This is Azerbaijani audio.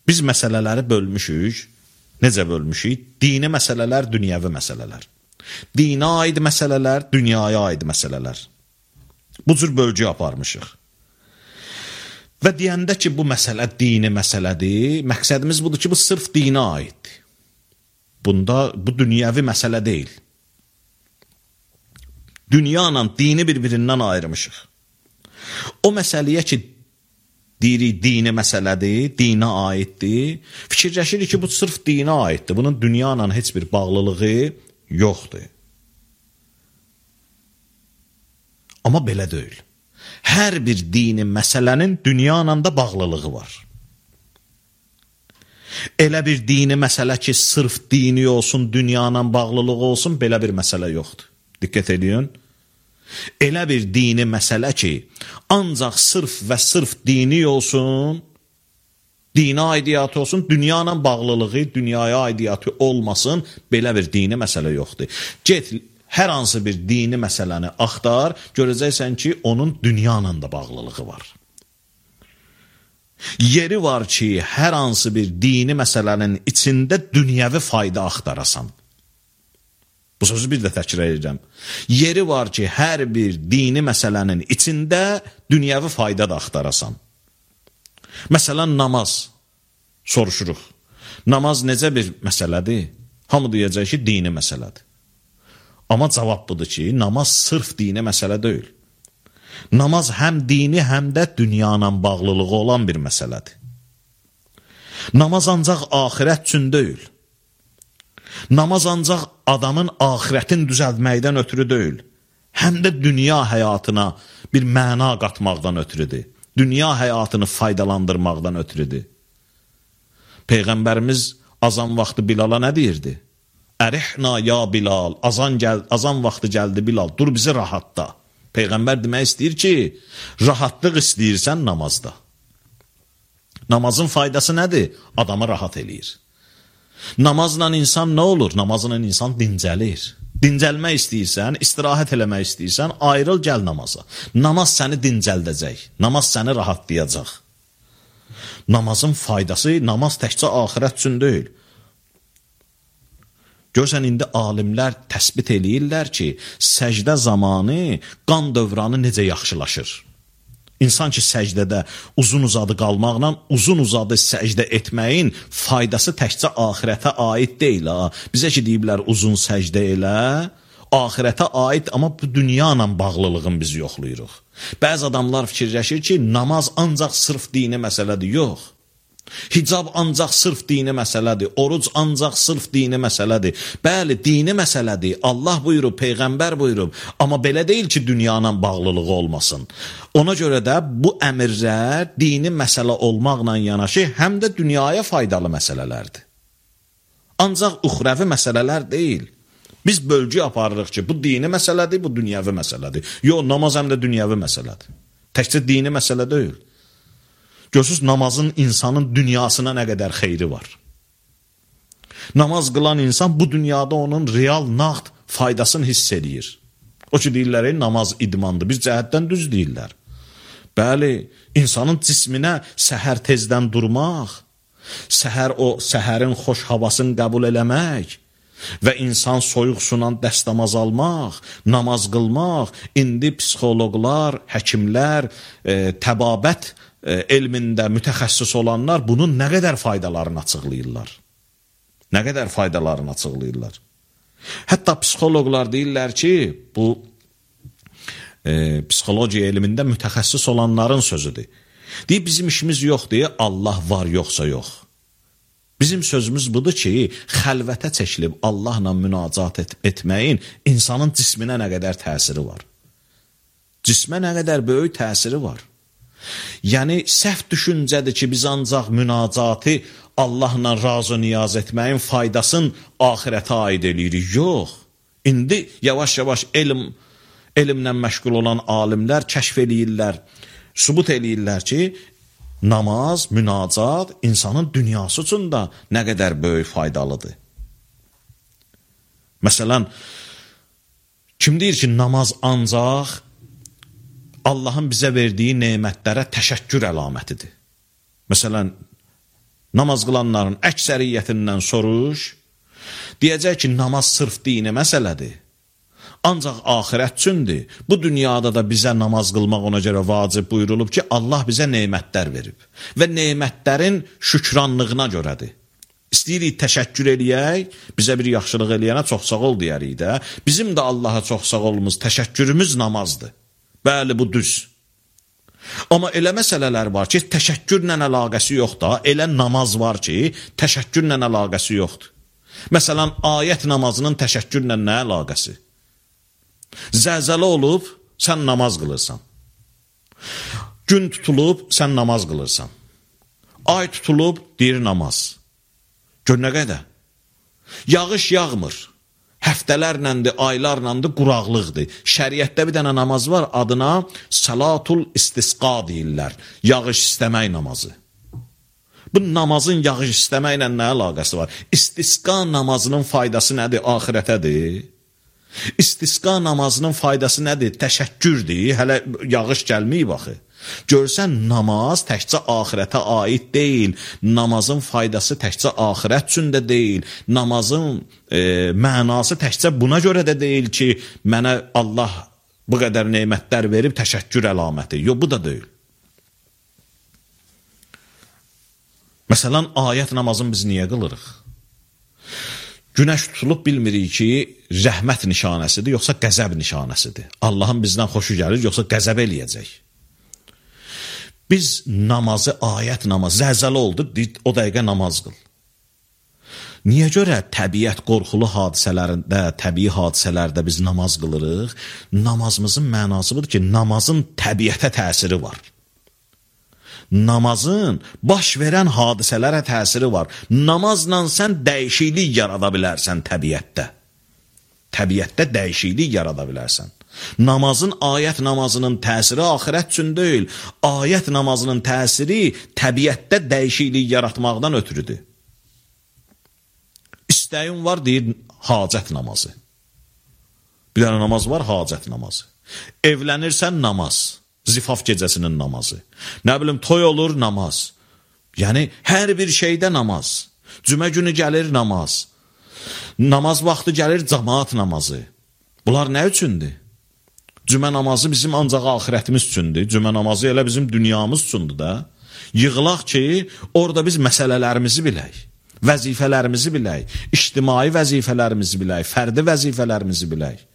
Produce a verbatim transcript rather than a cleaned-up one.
Biz məsələləri bölmüşük. Necə bölmüşük? Dini məsələlər, dünyəvi məsələlər. Dinə aid məsələlər, dünyaya aid məsələlər. Bu cür bölgü aparmışıq. Və deyəndə ki, bu məsələ dini məsələdir, məqsədimiz budur ki, bu sırf dinə aiddir. Bunda, bu dünyəvi məsələ deyil. Dünya ilə dini bir-birindən ayırmışıq. O məsələyə ki, deyirik, dini məsələdir, dinə aiddir, fikirləşirik ki, bu sırf dinə aiddir. Bunun dünya ilə heç bir bağlılığı yoxdur. Amma belə deyil. Hər bir dini məsələnin dünya ilə də bağlılığı var. Elə bir dini məsələ ki, sırf dini olsun, dünya ilə bağlılığı olsun, belə bir məsələ yoxdur. Diqqət edin. Elə bir dini məsələ ki, ancaq sırf və sırf dini olsun, dini aidiyyatı olsun, dünya ilə bağlılığı, dünyaya aidiyyatı olmasın, belə bir dini məsələ yoxdur. Get, hər hansı bir dini məsələni axtar, görəcəksən ki, onun dünya ilə də bağlılığı var. Yeri var ki, hər hansı bir dini məsələnin içində dünyəvi fayda axtarasan. Bu sözü bir də təkrar edəcəm. Yeri var ki, hər bir dini məsələnin içində dünyəvi fayda da axtarasan. Məsələn, namaz soruşuruq. Namaz necə bir məsələdir? Hamı deyəcək ki, dini məsələdir. Amma cavab budur ki, namaz sırf dini məsələ deyil. Namaz həm dini, həm də dünya ilə bağlılığı olan bir məsələdir. Namaz ancaq axirət üçün deyil. Namaz ancaq adamın axirətin düzəltməkdən ötürü deyil, həm də dünya həyatına bir məna qatmaqdan ötürüdür. Dünya həyatını faydalandırmaqdan ötürüdür. Peyğəmbərimiz azan vaxtı Bilala nə deyirdi? Ərihna ya Bilal, azan, gəl, azan vaxtı gəldi Bilal, dur bizi rahatda. Peyğəmbər demək istəyir ki, rahatlıq istəyirsən namazda. Namazın faydası nədir? Adamı rahat eləyir. Namazla insan nə olur? Namazla insan dincəlir. Dincəlmək istəyirsən, istirahət eləmək istəyirsən, ayrıl gəl namaza. Namaz səni dincəldəcək, namaz səni rahatlayacaq. Namazın faydası, namaz təkcə axirət üçün deyil. Görsən, indi alimlər təsbit eləyirlər ki, səcdə zamanı qan dövranı necə yaxşılaşır. İnsan ki, səcdədə uzun-uzadı qalmaqla, uzun-uzadı səcdə etməyin faydası təkcə axirətə aid deyil. Ha? Bizə ki, deyiblər uzun səcdə elə, axirətə aid, amma bu dünya ilə bağlılığın biz yoxlayırıq. Bəzi adamlar fikirləşir ki, namaz ancaq sırf dini məsələdir. Yox. Hicab ancaq sırf dini məsələdir, oruc ancaq sırf dini məsələdir. Bəli, dini məsələdir, Allah buyurub, Peyğəmbər buyurub, amma belə deyil ki, dünyanın bağlılığı olmasın. Ona görə də bu əmirlər dini məsələ olmaqla yanaşı, həm də dünyaya faydalı məsələlərdir. Ancaq uxrəvi məsələlər deyil. Biz bölgü aparırıq ki, bu dini məsələdir, bu dünyəvi məsələdir. Yox, namaz həm də dünyəvi məsələdir. Təkcə dini məsələ deyil. Görürsünüz, namazın insanın dünyasına nə qədər xeyri var. Namaz qılan insan bu dünyada onun real, nağd faydasını hiss edir. O ki, deyirlər, namaz idmandır, bir cəhətdən düz deyirlər. Bəli, insanın cisminə səhər tezdən durmaq, səhər o səhərin xoş havasını qəbul eləmək və insan soyuq sunan dəstəmaz almaq, namaz qılmaq, indi psixoloqlar, həkimlər, e, təbabət elmində mütəxəssis olanlar bunun nə qədər faydalarını açıqlayırlar. Nə qədər faydalarını açıqlayırlar. Hətta psixoloqlar deyirlər ki, bu e, psixologiya elmində mütəxəssis olanların sözüdür. Deyib, bizim işimiz yoxdur, Allah var, yoxsa yox. Bizim sözümüz budur ki, xəlvətə çəkilib Allahla münacat et etməyin insanın cisminə nə qədər təsiri var. Cismə nə qədər böyük təsiri var. Yəni, səhv düşüncədir ki, biz ancaq münacatı Allahla razı niyaz etməyin faydasını axirətə aid eləyirik. Yox. İndi yavaş-yavaş elm, elmlə məşğul olan alimlər kəşf eləyirlər, sübut eləyirlər ki, namaz, münacat insanın dünyası üçün də nə qədər böyük faydalıdır. Məsələn, kim deyir ki, namaz ancaq Allahın bizə verdiyi nemətlərə təşəkkür əlamətidir. Məsələn, namaz qılanların əksəriyyətindən soruş, deyəcək ki, namaz sırf dini məsələdir. Ancaq axirət üçündür. Bu dünyada da bizə namaz qılmaq ona görə vacib buyurulub ki, Allah bizə nemətlər verib. Və nemətlərin şükranlığına görədir. İstəyirik təşəkkür eləyək, bizə bir yaxşılıq eləyənə çox sağ ol deyərik də. Bizim də Allaha çox sağ olumuz, təşəkkürümüz namazdır. Bəli, bu düz. Amma elə məsələlər var ki, təşəkkürlə əlaqəsi yoxdur. Elə namaz var ki, təşəkkürlə əlaqəsi yoxdur. Məsələn, ayət namazının təşəkkürlə nə əlaqəsi? Zəlzələ olub, sən namaz qılırsan. Gün tutulub, sən namaz qılırsan. Ay tutulub, deyir namaz. Gör nə qədər? Yağış yağmır. Həftələrləndir, aylarlandır, quraqlıqdır. Şəriətdə bir dənə namaz var, adına salatul istisqa deyirlər. Yağış istəmək namazı. Bu namazın yağış istəməklə nə əlaqəsi var? İstisqa namazının faydası nədir? Axirətədir. İstisqa namazının faydası nədir? Təşəkkürdür. Hələ yağış gəlməyib baxı. Görsən, namaz təkcə axirətə aid deyil. Namazın faydası təkcə axirət üçün də deyil. Namazın e, mənası təkcə buna görə də deyil ki, mənə Allah bu qədər nemətlər verib təşəkkür əlaməti. Yox, bu da deyil. Məsələn, ayət namazını biz niyə qılırıq? Günəş tutulub bilmirik ki, rəhmət nişanəsidir, yoxsa qəzəb nişanəsidir. Allahın bizdən xoşu gəlir, yoxsa qəzəb eləyəcək. Biz namazı, ayət namazı, zəlzələ oldu, o dəqiqə namaz qıl. Niyə görə təbiət qorxulu hadisələrində, təbii hadisələrdə biz namaz qılırıq? Namazımızın mənası budur ki, namazın təbiətə təsiri var. Namazın baş verən hadisələrə təsiri var. Namazla sən dəyişiklik yarada bilərsən təbiətdə. Təbiətdə dəyişiklik yarada bilərsən. Namazın, ayət namazının təsiri axirət üçün deyil. Ayət namazının təsiri təbiətdə dəyişiklik yaratmaqdan ötürüdür. İstəyin var, deyir, hacət namazı. Bir dənə namaz var, hacət namazı. Evlənirsən, namaz. Zifaf gecəsinin namazı. Nə bilim, toy olur, namaz. Yəni, hər bir şeydə namaz. Cümə günü gəlir, namaz. Namaz vaxtı gəlir, cəmaat namazı. Bunlar nə üçündür? Cümə namazı bizim ancaq axirətimiz üçündür. Cümə namazı elə bizim dünyamız üçündür da. Yığılaq ki, orada biz məsələlərimizi bilək. Vəzifələrimizi bilək. İctimai vəzifələrimizi bilək. Fərdi vəzifələrimizi bilək.